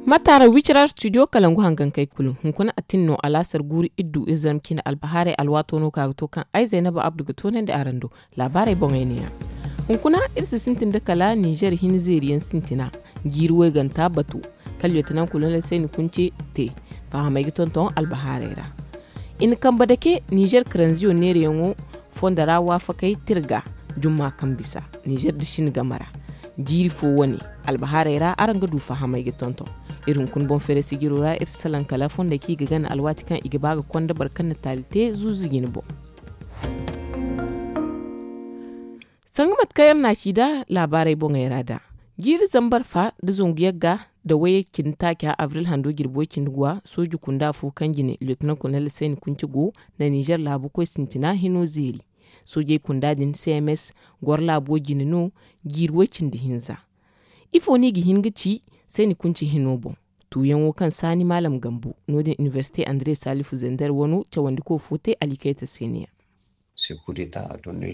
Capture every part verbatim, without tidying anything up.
Mataara wicirar studio kalangu hangankey kulu hunkuna a tin no alaasar guuru iddu izarma cine albahaarey alwaato no ka ga to kaŋ ay zaynaba abdu ga toonandi araŋ do. Laabaarey boŋey neeya. Hunkuna iri si sintin nda kala ninzeer hin zeeriyaŋ sintina jiiri wayganta batu kala yotanaŋ kulu no laysay ni kunce te. Fahamey ga tonton albahaarey ra. I na kambe dake ninzeer karanziyo neerayaŋo fondo ra waafakey tirga jumma kaŋ bisa ninzeer da sine game ra. Jiiri fo wane albahaarey ra araŋ ga du fahamey ga tonton. Iri hunkuna boŋ feeray sijiro ra iri si salaŋ kala fondey kaŋ i ga gana alwaati kaŋ i ga ba ga konda boro kaŋ na taali te zuuzu jine boŋ. Sanga mate kaŋ iri na a ci nd'a laabaarey boŋey ra nd'a jiiri zambar fa nda zangu yagga nda wayye cindi taaca abril hando jirbi way cindi guwa sooji kunda fo kaŋ jine liyotonan kolonel sayni kunce go na ninzeer laabu koy sintina hino zeeri. Soojey kunda din cms goro laabo jine no jiiri way cindi hinza. Ifo no i ga hin ga ci sayni kunce hino boŋ? Tuuyaŋo kaŋ saani maalam gambo no- din inibersite andre salifu zender wano cawandiko fo te alikayta se ne ya.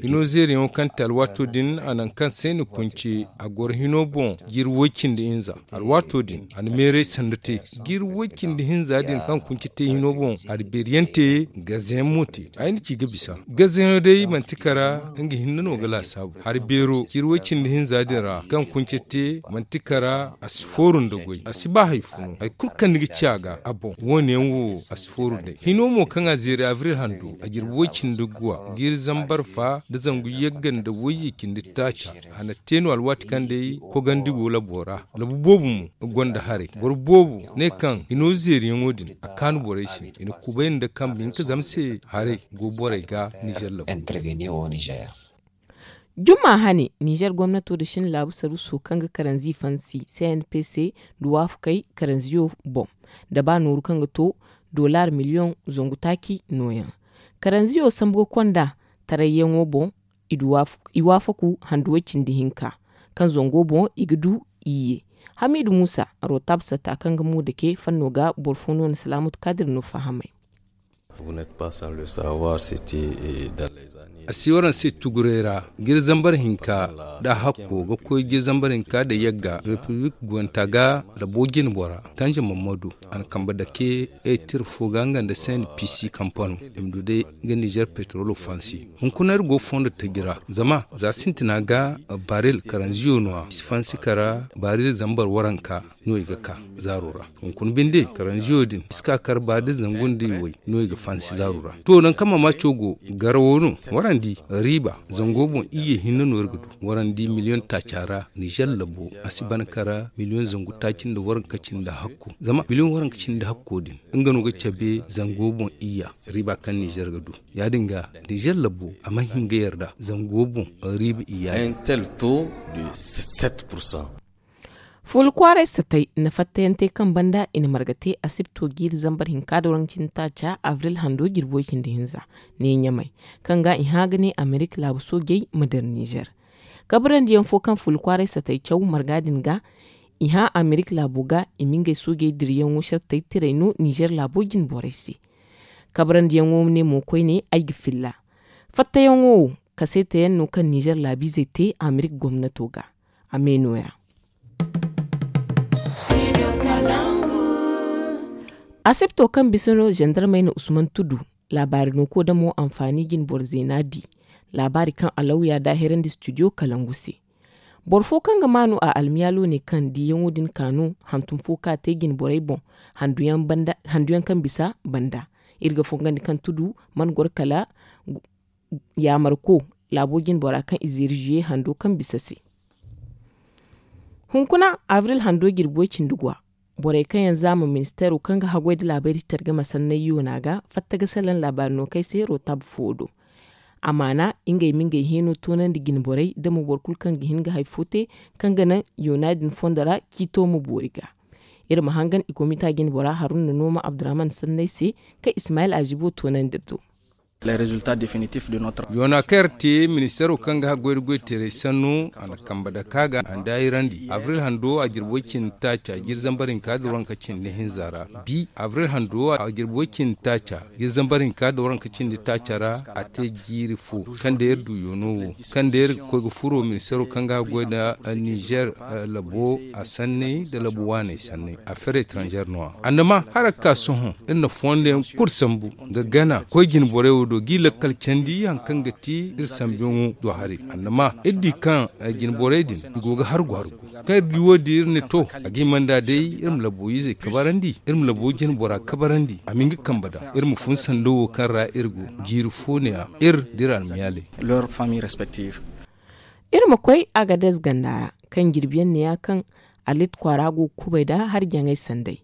Hino zeeriyaŋo kaŋ te alwaato din a naŋ kaŋ sayni kunce a goro hino boŋ jiiri way cindi hinza. Alwaato din a na meeray sanda te jiiri way cindi hinza din kaŋ kunce te hino boŋ a na beeriyaŋ te gazayaŋ mo te. Ay na ci ga bisa gazayaŋo day manti kara nga hinne no ga laasaabu hari beero jiiri way cindi hinza din ra kaŋ kunce te manti kara a si fooru nda goy a si ba hari fo no hari kulu kaŋ ni ga ci a ga a boŋ wo- ne yaŋ wo a si fooru day hino mo kaŋ a zeeri abril hando a jirbi way cindi guwa jiiri zambar fa nda zangu yagga nda wayye cindi taaca. A na te no alwaati kaŋ day kogandi go labo ra labu boobo mo ga gonda haray boro boobo ne kaŋ hino zeeriyaŋo din a kaanu borey se i na kubay nda kambe hinka zama se haray go borey ga ninzeer labo. Jumma hane ninzeer gomnato da shin laabu saruso kaŋ ga karanzi fansi cnpc nda waafakey karanziyo boŋ da ba nooru kaŋ ga to dolaar miliyoŋ zangu taaci nooyaŋ. Karanziyo sambu ga konda tarayyaŋo boŋ i waafaku handu way cindi hinka kaŋ zango boŋ i ga du iyye. Hamiidu muusa rotab satta kaŋ ga mo dake fanno ga boro fo no na salaamatu kaadir no fahamay. A si waraŋ se tuguray ra jiri zambar hinka nda a hakko ga koy jiri zambar hinka nda yagga repiblik guwanta ga labo jinbora tanja mammadu a na kambe dake ay tira fo ga nga nda sayni pisi kampano i ma du day ga nizer petrolo fansi. Hunkuna iri go fondo taji ra zama za sintina ga baril karanziyo no- ya i si fansi kara baril zambar waranka no i ga ka zaaro ra. Hunkuna binde karanziyo din i si ka kara baril zangu nda i way no i ga fansi zaaro ra. To nangu kaŋ mamaco go garawo no warandi riiba zango boŋ iyye hinne no iri ga du. Warandi miliyoŋ taaca ra nizer labo a si ban kara miliyoŋ zangu taaci nda waranka cindi hakko zama miliyoŋ waranka cindi hakko din nga no ga cabe zango boŋ iyya riiba kaŋ nizer ga du. Ya- din ga nizer labo a mana hin ga yarda zango boŋ riiba iyya din. Fuula kwaaray satay na fattayante kaŋ banda i na marga te asibto jiiri zambar hinka da waranka cindi taaca abril hando jirbi way cindi hinza ne ɲamay kaŋ ga i hã ga ne amerika laabu soojey ma dira nizer. Kabrandi yaŋ fo kaŋ fuula kwaaray satay caw marga din ga i hã amerika laabo ga i ma ngey soojey dirayaŋo shartay tiray no nizer laabo jinborey se. Kabrandi yaŋo ne mo koyne ay ga filla fattayaŋo wo kaseeta yaŋ no kaŋ nizer laabiizey te amerika gomnato ga. A me no- ya. Asibto kaŋ bisa no zandarmey na usman tudu laabaari no ko damo anfaani jinboro zeena di. Laabaari kaŋ alawya daahirandi studio kalangu se. Boro fo kaŋ ga maanu a almiyaalo ne kaŋ diyaŋo din kaanu hantum fo ka te jinborey boŋ handuyaŋ kaŋ bisa banda. Iri ga fongandi kaŋ tudu mana goro kala yaamarko laabo jinbora kaŋ i zeeri zuye hando kaŋ bisa se. Hunkuna abril hando jirbi way cindi guwa borey kaŋ yaŋ zaama ministeero kaŋ ga haggoy nda laabayri care game sanney yoona ga fatta ga salaŋ laabaari no kay se rotab fo do. Amaana ngey ma ngey heeno toonandi jinborey nda mo boro kulu kaŋ ga hin ga hari fo te kaŋ ga naŋ yoona din fondo ra ciito ma boori ga. Iri ma hangan i komita jinbora haruna nooma abdurahman sanney se kaŋ ismayil azibo toonandi iri do. Yoona kaŋ yar te ministeero kaŋ ga haggoy da goy teeray sannu a na kambe dake a ga a na daahirandi abril hando a jirbi way cindi taaca jiiri zambar hinka nda waranka cindi hinza ra. Bi abril hando a jirbi way cindi taaca jiiri zambar hinka nda waranka cindi taaca ra. A te jiiri fo kaŋ day iri du yoono wo kaŋ day iri ga koy ga furo ministeero kaŋ ga haggoy nda nizer labo a sanney nda labo waaney sanney afeer etranzer no- ya. Andama hala ga ka sohõ iri na fondo yaŋ kulu sambu ga gana koy jine borey wo do g'i lakkal candi hari kaŋ ga ti iri sambuyaŋo do haray. Andama iri di kaŋ jine borey din i go ga hargu hargu kaŋ iri di wo- din iri ne to a ga hima nd'a day iri ma labo izey kabarandi iri ma labo jine bora kabarandi a ma hin ga kambe nd'a iri ma fun sanda wo kaŋ ra iri go jiiri fo ne- ya iri da iri almiyaaley. Iri ma koy agadez ganda ra kaŋ jirbi yaŋ ne- ya kaŋ alit kwaara go ga kubay nda hari jaŋay sanday.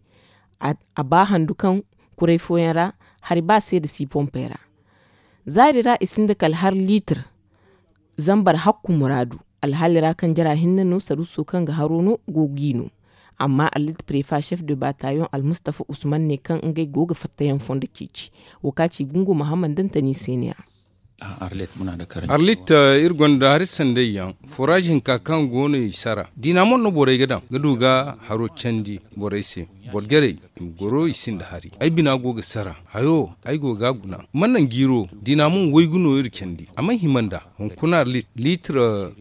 A ba handu kaŋ kuray fooyaŋ ra hari ba seeda si pompey ra. Zaari ra i sinda kala hari liitir zambar hakku muraadu. Alhaali ra kaŋ jara hinne no saruuso kaŋ ga haro no go g'i no. Amma allit prefa chef de batayon almustafa usman ne kaŋ ngey go ga fattayaŋ fondo ceeci. Wo ka ci gungu mahammad dantani se ne- ya. Arlit iri gonda hari sanday yaŋ foraaz hinka kaŋ go no i sara diina mo no borey ga daŋ ga du ga haro candi borey se. Boro jarey i ma goro i sinda hari ay bina go ga sara hayo ay go ga a guna mana nangu iro diina mo waygu no iri candi a mana hima nd'a. Hunkuna liitir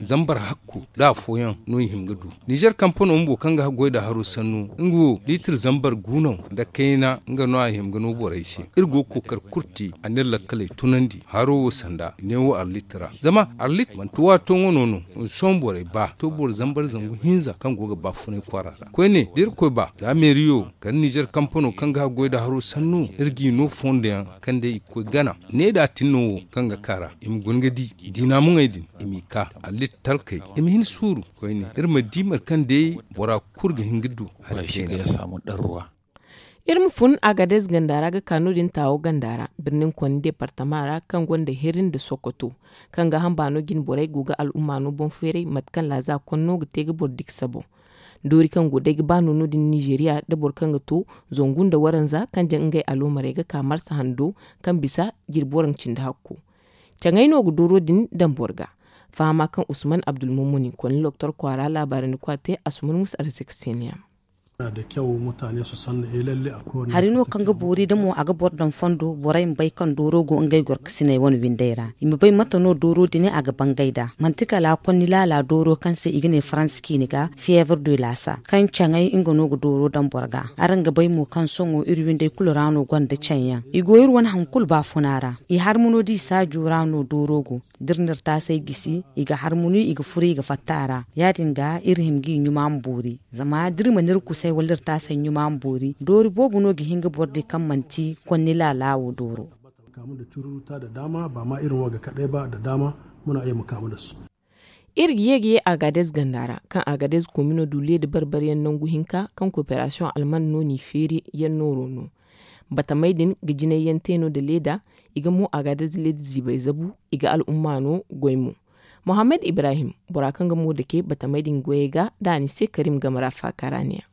zambar hakku nda afooyaŋ no i hin ga du. Nizer kampano bumbo kaŋ ga goy nda haro sannu nga wo liitir zambar gu no nda kayna nga no a hima ga no borey se. Iri go ga kookari kulu te a na iri lakkaley tunandi haro wo sanda neewo arlit ra zama arlit manti waato wano no. Sohõ borey ba to boro zambar zangu hinza kaŋ go ga baafunay kwaara ra koyne da irkoy ba za meeriyo kala nizer kampano kaŋ ga goy nda haro sannu iri g'i no fondo yaŋ kaŋ day i ga koy gana ne da a tin no wo kaŋ ga ka ra i ma guna ga di diina muŋey din i m'i ka allit talkey i ma hin suuru koyne iri ma di mate kaŋ day bora kulu ga hin ga du hari kayna. Iri ma fun agadez ganda ra ga ka no- din taawo ganda ra birnin konni deepartama ra kaŋ gonda heri nda sokoto kaŋ ga hamba no jine borey go ga al'umma no boŋ feeray mate kaŋ laaza konno ga te ga boro diksa boŋ. Doori kaŋ go day ga ba no no- din nizeeriya nda boro kaŋ ga to zangu nda waranza kaŋ jaŋ ngey aloomarey ga ka marsa hando kaŋ bisa jirbi waranka cindi hakko. Caŋey no ga dooro din daŋ boro ga. Fahama kaŋ usman abdulmumuni konni loktor kwaara laabaarandi kwa te asuman musa arzika se ne- ya. Hari no kaŋ ga boori da mo a ga boro daŋ fondo borey ma bay kaŋ dooro go ngey gorkasiney wane windey ra i ma bay mate no dooro din a ga bangay nd'a manti kala konni laala dooro kaŋ se i ga ne faransa ciini ga fiyeebar de laasa kaŋ caŋey nga no ga dooro daŋ boro ga. Araŋ ga bay mo kaŋ sohõ iri windey kulu ra no gonda caŋ yaŋ i go iri wane hari kulu baafuna ra. I harmano da i saajo ra no dooro go da iri na iri taasey gisi i ga harmunu i ga furu i ga fatta a ra. Ya- din ga iri hima g'i ɲuma ma boori zama da iri mana iri kusay wala iri taasey ɲuma ma boori doori boobo no ga hin ga boro di kaŋ manti konni laala wo dooro. Kamu da cururuta da dama ba ma irin waga kaɗai ba da dama muna iya mu kamu da su. Iri ga ye ga ye agadez ganda ra kaŋ agadez komino du leeda barbariyaŋ nangu hinka kaŋ koperasiyoŋ alman no n'i feeri yaŋ nooro no. Batamey din ga jinay yaŋ te no nda leeda. I ga mo agadez leeda ziibay zabu. I ga al'umma no goy mo. Mohammed ibrahim bora kaŋ ga mo dake batamey din goyey ga da a ni se karim game ra faaka ra ne- ya.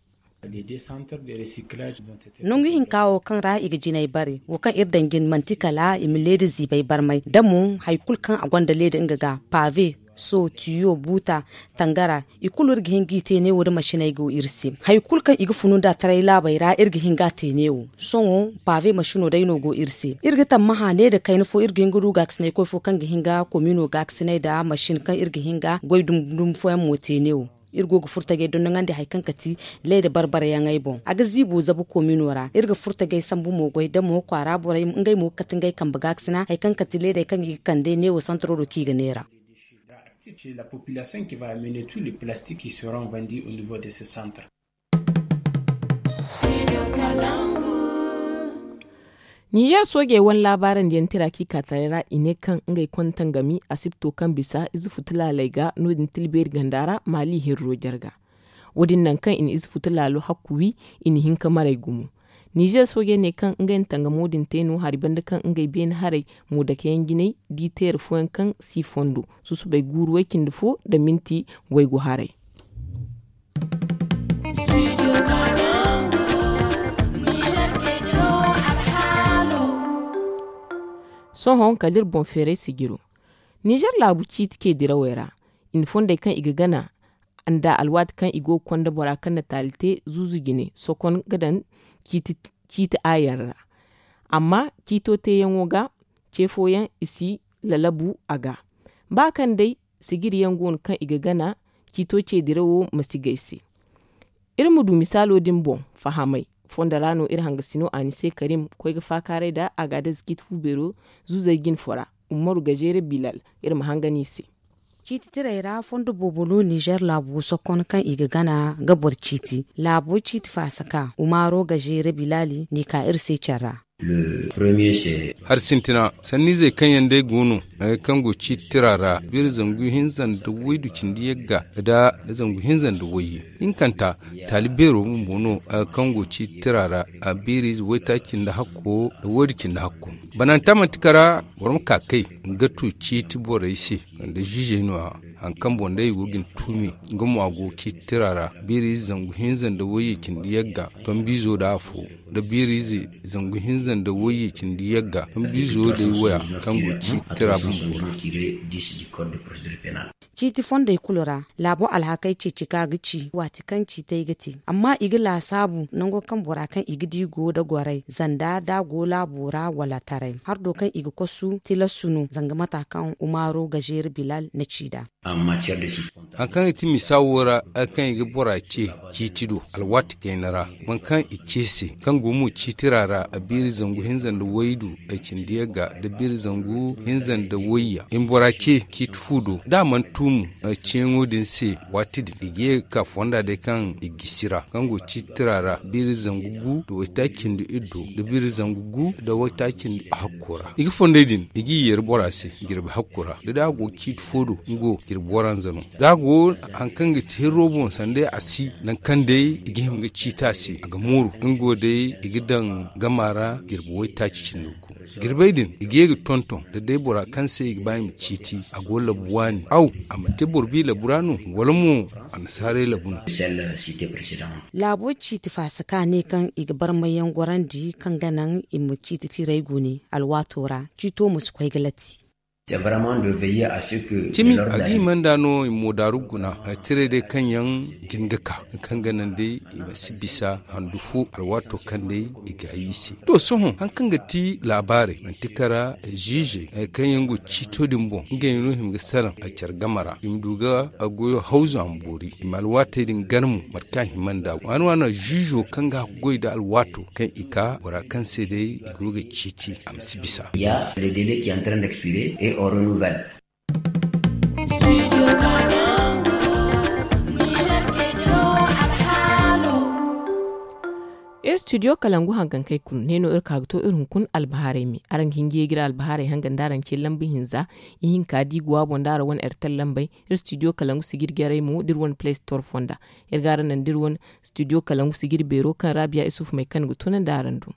Nangu hinka wo kaŋ ra i ga jinay bare wo kaŋ iri daŋ jin manti kala i ma leeda ziibay barmay da mo hari kulu kaŋ a gonda leeda nga ga pave so tiyo buuta tangara i kulu iri ga hin g'i te neewo da masiney go iri se. Hari kulu kaŋ i ga funu nd'a taray laabey ra iri ga hin g'a te neewo. Sohõ pave masino day no go iri se iri ga tammaha ne nda kayna fo iri ga hin ga du gaakasinay koy fo kaŋ ga hin ga komino gaakasinay nda masin kaŋ iri ga hin ga goy dumi dumi fooyaŋ mo te neewo. Iri go ga furo tajey dondoŋandi hari kaŋ kati leeda barbarayaŋey boŋ a ga ziibo zabu komino ra iri ga furo tajey sambu mo goy da mo kwaara borey ngey mo ga kati ngey kambe gaakasina hari kaŋ kati leedey kaŋ i ga kande neewo santaro do kaŋ i ga neera. La population qui va amener tous les plastiques qui seront vendus au niveau de ce centre. Nizer soojey wane laabaarandi yaŋ tira kaŋ i ka taray ra i ne kaŋ ngey kontangami asibto kaŋ bisa ize futu laaley ga no- din tilbeeri ganda ra maali hirro jarga. Wo- din naŋ kaŋ i na ize futu laalo hakku wi i na hin ka maray gumo. Nizer soojey ne kaŋ ngey na tangamo din te no hari banda kaŋ ngey beene haray mo dakeyaŋ jinay di teere fooyaŋ kaŋ si fondo susubay guuru way cindi fo nda minti waygu haray. Sohõ kala iri boŋ feeray sijiro. Nizer laabu ciiti ce dirawey ra, i na fondey kaŋ i ga gana nda alwaati kaŋ i go ga konda bora kaŋ na taali te zuuzu jine sokon ga daŋ ciiti aayaŋ ra. Amma ciito teeyaŋo ga ce fooyaŋ i si lalabu a ga. Ba kaŋ day sijiriyaŋ go no kaŋ i ga gana ciito ce dirawo ma si gay se. Iri ma du misaalo din boŋ fahamay fondo ra no iri hangasino anise karim koy ga faakaaray nda agaadez ciiti fu beero zuuzey jine fo ra. Ummaru gazeere bilal. Iri ma hangan i se. Ciiti tirey ra fondo boobo no nizer laabu sokon kaŋ i ga gana ga boro ciiti laabo ciiti faasaka umaaro gazeere bilali n'i ka iri se care ra. Hari sintina sanniizey kaŋ yaŋ day go no, kaŋ go ciiti tira ra beeri zangu hinza nda waydu cindi yagga nda zangu hinza nda wayye. Hinkanta taali beero bumbo no, kaŋ go ciiti tira ra beeri ize waytaaci cindi hakko nda waydu cindi hakko. Bananta manti kara boro ma ka kay ga tu ciiti borey se. Nda ziizey no- ya hari kaŋ boŋ day i go ga ni tuumi nga mo a go ciiti tira ra beeri ize zangu hinza nda wayye cindi yagga tombiizo nda afo nda beeri ize zangu hinza nda wayye cindi yagga tombiizo day waya kaŋ go ciiti tira bumbo ra. Ciiti fondey kulu ra laabo alhakey ceeci ka ga ci waati kaŋ ciitey ga te amma i ga laasaabu nango kaŋ bora kaŋ i ga di go nda gorey zanda da a go laabo ra wala taray hardo kaŋ i ga kosu tilasu no zanga mata kaŋ umaaro gazeeri bilal na ci nd'a. Hari kaŋ i ti misa wo ra hari kaŋ i ga bora ce ciiti do alwaati kayna ra boro kaŋ i ce se kaŋ go mo ciitira ra a beeri zangu hinza nda waydu cindi yagga nda beeri zangu hinza nda wayya i ma bora ce ciiti fu do da a mana tuumu. Ceeyaŋo din se waati din i ga ye ga ka fonda day kaŋ i gisi ra kaŋ go ciitira ra beeri zangu gu nda waytaaci cindi iddo nda beeri zangu gu nda waytaaci cindi hakko ra i ga fondey din i g'i yeeri bora se jirbi hakko ra da day a go ga ciiti fo do nga wo jirbi waranza no. Da a go hari kaŋ ga ti hirro boŋ sanda a si nangu kaŋ day i ga hima ga ciiti a se a ga mooru nga wo day i ga daŋ gama ra jirbi waytaaci cindi gu. Jirbey din i ga ye ga tonton da day bora kaŋ se i ga ba i ma ciiti a go labu waani aw a ma te boro bi labu ra no wala mo annasaarey labu no? Laabo ciiti faasa ka ne kaŋ i ga barmay yaŋ gorandi kaŋ ga naŋ i ma ciiti tirey gune alwaato ra ciito ma si koy ga latti. Cimi a ga hima nd'a no i ma moodaaru guna tirey day kaŋ yaŋ jin ga ka kaŋ ga naŋ day i ma si bisa handu fo alwaato kaŋ day i gaayi i se. To sohõ hari kaŋ ga ti laabaarey manti kara ziizey kaŋ yaŋ go ciito din boŋ ngey no hima ga salaŋ care game ra i ma du ga goyo hawzu a ma boori i ma alwaatey din gana mo mate kaŋ a hima nd'a waani waani ziizo kaŋ ga hakku goy nda alwaato kaŋ i ka bora kaŋ se day i go ga ciiti a ma si bisa. Iri studio kalangu hangankey kulu ne no iri ka ga to iri hunkuna albahaarey me araŋ ga hin ga ye ga iri albahaarey hangan da araŋ ce lamba hinza ihinka da i go a boŋ da araŋ wane ertel lambey. Iri studio kalangu sijiri jarey mo da iri wane play store fonda. Iri ga araŋ naŋ da iri wane studio kalangu sijiri beero kaŋ raabiya isufu may kaŋ ga tunandi araŋ do.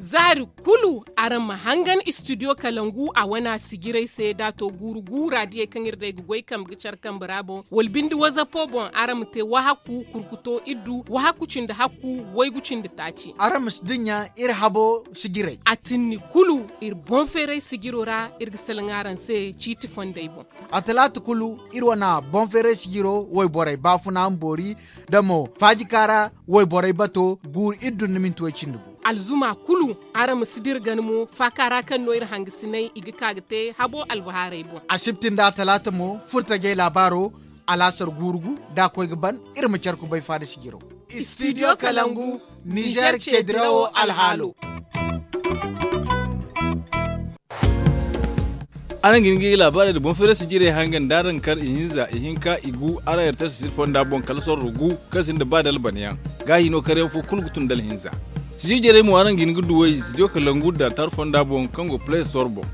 Zaari kulu araŋ ma hangan studio kalangu a wane a sijirey se da a to guuru guura diyey kaŋ iri day ga goy kambe ga care kambe ra boŋ wala binde wazapo boŋ araŋ ma te wahakku kurkuto iddu wahakku cindi hakku waygu cindi taaci. Araŋ ma si dinya iri habo sijirey a tinni kulu iri boŋ feeray sijiro ra iri ga salaŋ araŋ se ciiti fondey boŋ. A talaata kulu iri wane boŋ feeray sijiro wayborey baafuna ma boori da mo faajika ra wayborey bato guuru iddu nda minti way cindi gu. Alzuma kulu araŋ ma si dira gana mo faaka ra kaŋ no iri hangasiney i ga ka ga te habo albahaarey boŋ. Asibti nda a talaata mo furtajey laabaaro alaasar guuru gu da a koy ga ban iri ma care kubay faada sijiro. Studio kalangu nizer ce dirawo alhaalo. Araŋ ga hin ga i ga laabaarey nda boŋ feeray sijirey hangan da araŋ kar ihinza ihinka igu araŋ ertel sijir fonda boŋ kala sorro gu kaŋ sinda ba da alban yaŋ. Gaahi no karyaŋ fo kulu ga tun da alhinza. Sijir jarey mo araŋ ga hin ga duw'ey studio kalangu da tar fonda boŋ kaŋ go play store boŋ.